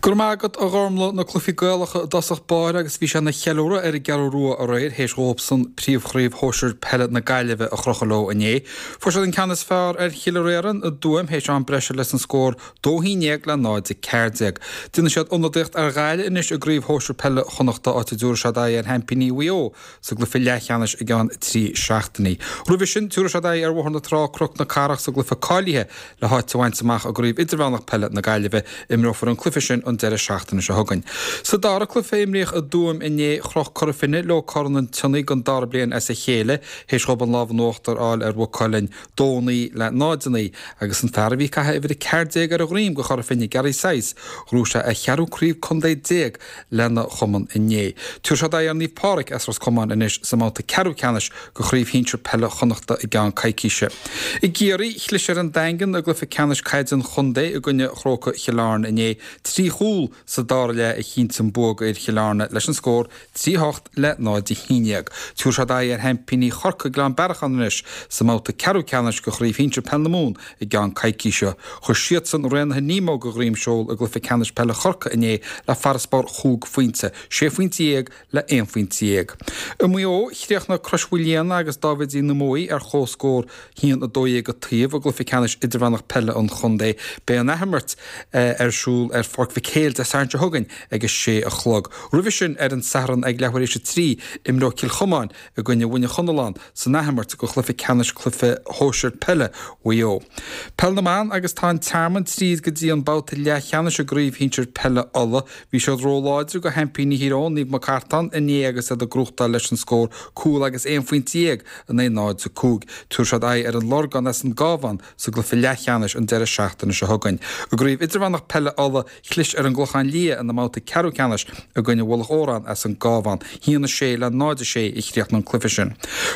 Go raibh maith agat a Ghormlaith, na cluichí Gaelacha i dtosach báire agus bhí sé ina cheiliúradh ar an gCeathrú Rua aréir théis dhóibhsan príomhchraobh shóisir peile na Gaillimhe a chrochadh leo inné. Fuair siad an ceann is fearr ar Chill Réarann i dTuaim théis am breise leis an scór 2 11 le 0 14. Déanfaidh siad ionadaíocht ar Ghaillimh anois i gcraobh shóisir peile Chonnachta áit a dtabharfaidh siad aghaidh ar sheaimpíní Mhaigh Eo sa gcluiche leathcheannais i gceann 3 seachtainí. Roimhe sin, tabharfaidh siad aghaidh ar Bhóthar na Trá, Cnoc na Cathrach sa gcluiche cáilithe le háit a bhaint amach i gCraobh Idirmheánach Peile na Gaillimhe. Imreofar an cluiche sin an deireadh seachtaine seo chugainn. Sa dara cluiche a imríodh i dTuaim inné, chroch Cora Finne leo Corn an tSionnaigh don dara bliain as a chéile théis dhóibh an lámh in uachtar a fháil ar Mhaigh Cuilinn, 2 9 le 0 9, agus an fear a bhí ag caitheamh uimhir 14 ar a dhroim do Chora Finne, Gary Sice, ghnóthaigh sé a cheathrú craobh contae lena chumann inné. Tabharfaidh siad aghaidh ar Naomh Pádraig as Ros Comáin anois sa mbabhta ceathrú ceannais de Chraobh Shinsir Peile Chonnachta i gceann coicíse. I gCiarraí, chlis ar an Daingean i gcluiche ceannais caide an chontae i gcoinne Chrócaigh Chill Airne inné. 3 chúl sa dara leath a chinntigh an bua d'fhir Chill Airne leis an scór 3 8 le 0 11. Tabharfaidh siad aghaidh ar sheaimpíní Chorcaí Gleann Bearacháin anois sa mbabhta ceathrú ceannais de Chraobh Shinsir Peile na Mumhan i gceann coicíse. Chuir siadsan Raonaithe Nemo de dhroim seoil i gcluiche ceannais peile Chorcaí inné le farasbarr chúig phointe, sé phointe dhéag le aon phointe dhéag. I Maigh Eo, chríochnaigh Crois Mhaoilíona agus Dáibhidí na Muaidhe ar chomhscór 1, 12 an taobh i gcluiche ceannais idirmheánach peile an chontae. Beidh an athimirt ar siúl ar Pháirc Mhic Éil Dé Sathairn seo chugainn ag a sé a chlog. Roimhe sin, ar an Satharn ag leathuair théis a 3, imreoidh Cill Chomáin i gcoinne Mhuine Chonalláin san athimirt de chluiche ceannais cluiche shóisir peile Mhaigh Eo. Peil na mBan agus tá an Tearmann tríd go dtí an babhta leathcheannais i gcraobh shinsir peile Uladh. Bhí siad róláidir do sheaimpíní Thír Eoghain, Naomh Mac Artáin, inné agus iad ag gnóthachtáil leis an scór cúl agus aon phointe dhéag in aghaidh 0-5. Tabharfaidh siad aghaidh ar an Lorgán as an gCábhán sa gcluiche leathcheannais an deireadh seachtaine seo chugainn. I gcraobh idirmheánach peile Uladh, Chlis ar an gClochán Liath ina mbabhta ceathrú ceannais i gcoinne Mhullach Óráin as an gCábhán. 1-6 le 0-6 a chríochnaigh an cluiche sin.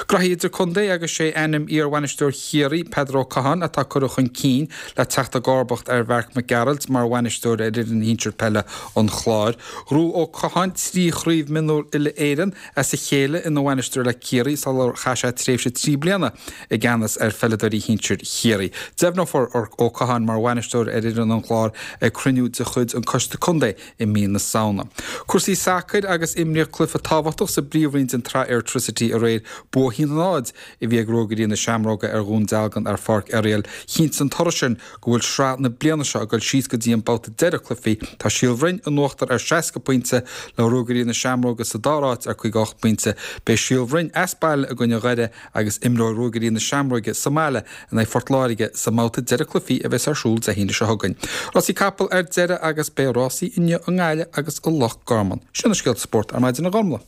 Graithí idirchontae agus sé ainm iar-bhainisteoir Chiarraí, Peadar Ó Catháin, atá curtha chun cinn le teacht i gcomharbacht ar Mharc Mac Gearailt mar bhainisteoir ar fhoireann shinsir peile an Chláir. Ghnóthaigh Ó Catháin 3 chraobh mionúr uile-Éireann as a chéile ina bhainisteoir le Ciarraí sular chaith sé tréimhse 3 bliana i gceannas ar pheileadóirí shinsir Chiarraí. Deimhneofar Ó Catháin mar bhainisteoir ar fhoireann an Chláir ag cruinniú de chuid an Coiste Contae i mí na Samhna. Cúrsaí sacair agus imríodh cluiche tábhachtach sa bpríomhroinn den tSraith Airtricity aréir. Bua 1-0 a bhí ag Ruagairí na Seamróige ar Dhún Dealgan ar Pháirc Oiriall. Chinntigh an toradh sin go bhfuil sraith na bliana seo ag dul síos go dtí an babhta deiridh cluichí. Tá Síol Bhroin in uachtar ar 60 pointe, le Ruagairí na Seamróige sa dara háit ar 58 pointe. Beidh Síol Bhroin as baile i gcoinne Dhoire agus imreoidh Ruagairí na Seamróige sa mbaile in aghaidh Phort Láirge sa mbabhta deiridh cluichí a bheas ar siúl Dé hAoine seo chugainn. Rásaí capall ar deireadh agus beidh rásaí inniu i nGaillimh agus i Loch Garman. Sin na scéalta spóirt ar maidin a Ghormlaith.